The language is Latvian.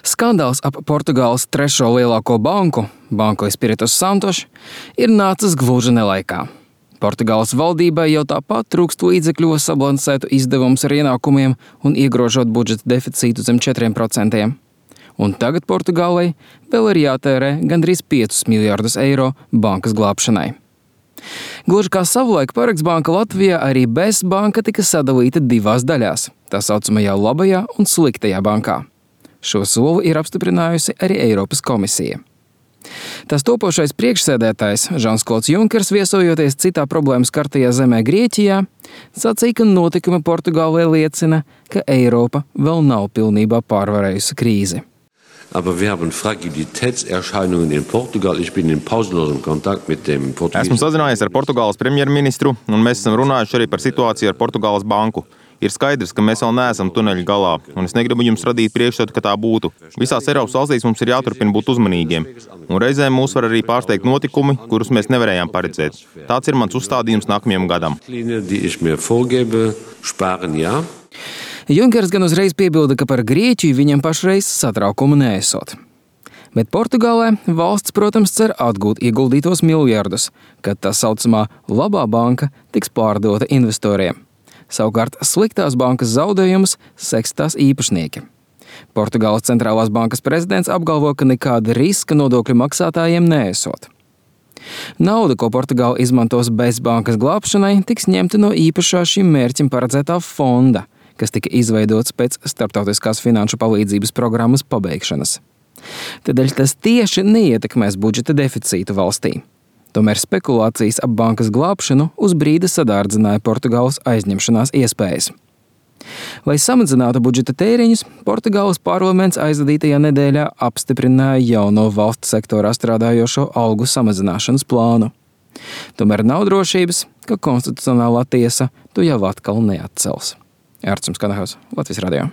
Skandāls ap Portugāles trešo lielāko banku, Banco Espírito Santo, ir nācis gluži nelaikā. Portugāles valdībai jau tāpat trūkst līdzekļu sabalansētu izdevumus ar ienākumiem un iegrožot budžeta deficītu zem 4%. Un tagad Portugālei vēl ir jātērē gandrīz 5 miljārdus eiro bankas glābšanai. Gluži kā savulaik Parex banka Latvijā, arī BES banka tika sadalīta divās daļās, tā saucamajā labajā un sliktajā bankā. Šo soli ir apstiprinājusi arī Eiropas komisija. Tās topošais priekšsēdētājs Žans-Klods Junkers, viesojoties citā problēmas skartajā zemē Grieķijā, sacīja, ka notikumi Portugālē liecina, ka Eiropa vēl nav pilnībā pārvarējusi krīzi. Aber wir haben Fragilitätserscheinungen in Portugal. Ich bin in pausenlosem Kontakt mit dem Esmu sazinājies ar Portugāles premjerministru, un mēs esam runājuši arī par situāciju ar Portugāles banku. Ir skaidrs, ka mēs vēl neesam tuneļa galā, un es negribu jums radīt priekšstatu, ka tā būtu. Visās Eiropas valstīs mums ir jāturpina būt uzmanīgiem, un reizēm mūs var arī pārsteigt notikumi, kurus mēs nevarējām paredzēt. Tāds ir mans uzstādījums nākamajam gadam. Junkers gan uzreiz piebilda, ka par Grieķiju viņam pašreiz satraukumu neesot. Bet Portugālē valsts, protams, cer atgūt ieguldītos miljardus, kad tā saucamā labā banka tiks pārdota investoriem. Savukārt sliktās bankas zaudējumus seks tās īpašnieki. Portugāles centrālās bankas prezidents apgalvo, ka nekāda riska nodokļu maksātājiem neesot. Nauda, ko Portugāla izmantos BES bankas glābšanai, tiks ņemta no īpašā šim mērķim paredzētā fonda, kas tika izveidots pēc starptautiskās finanšu palīdzības programmas pabeigšanas. Tādēļ tas tieši neietekmēs budžeta deficītu valstī. Tomēr spekulācijas ap bankas glābšanu uz brīdi sadārdzināja Portugāles aizņemšanās iespējas. Lai samazinātu budžeta tēriņus, Portugāles parlaments aizvadītajā nedēļā apstiprināja jauno valsts sektorā strādājošo algu samazināšanas plānu. Tomēr nav drošības, ka konstitucionālā tiesa to jau atkal neatcels. Ārtsums Kanahaus, Latvijas radio.